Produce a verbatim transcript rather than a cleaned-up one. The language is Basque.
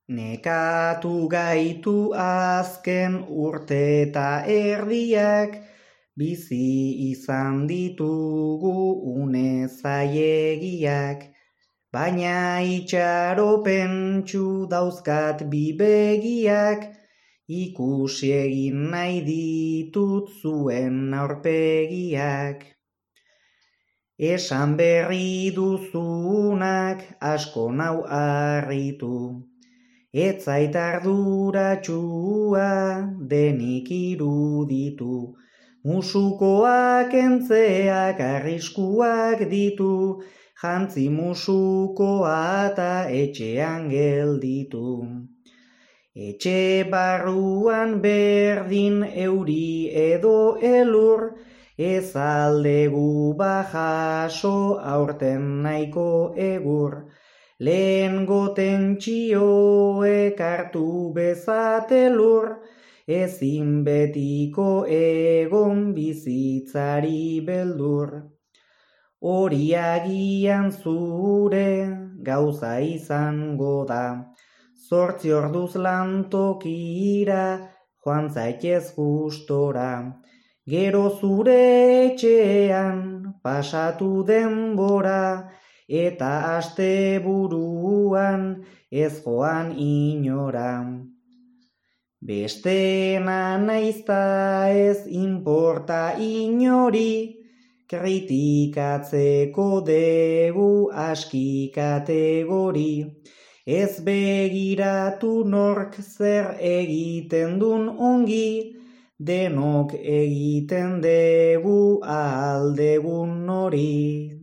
Nekatu gaitu azken urte eta erdiak, bizi izan ditugu une zailegiak, baina itxaropentsu dauzkat bi begiak, ikusi egin nahi ditut zuen aurpegiak. Esan berri duzunak asko nau harritu, ez zait arduratsua denik iruditu, musukoak entzeak arriskuak ditu, jantzi musukoa eta etxean gelditu. Etxe barruan berdin euri edo elur, ez aldegu bajaso aurten nahiko egur, lehen gotentxioek hartu bezate lur, ezin betiko egon bizitzari beldur. Hori agian zure gauza izango da, zortzi orduz lantokira joan zaitez gustora, gero zure etxean pasatu denbora, eta asteburuan ez joan inora. Besteena naizta ez inporta inori, kritikatzeko degu aski kategori, ez begiratu nork zer egiten dun ongi, denok egiten degu ahal degun hori.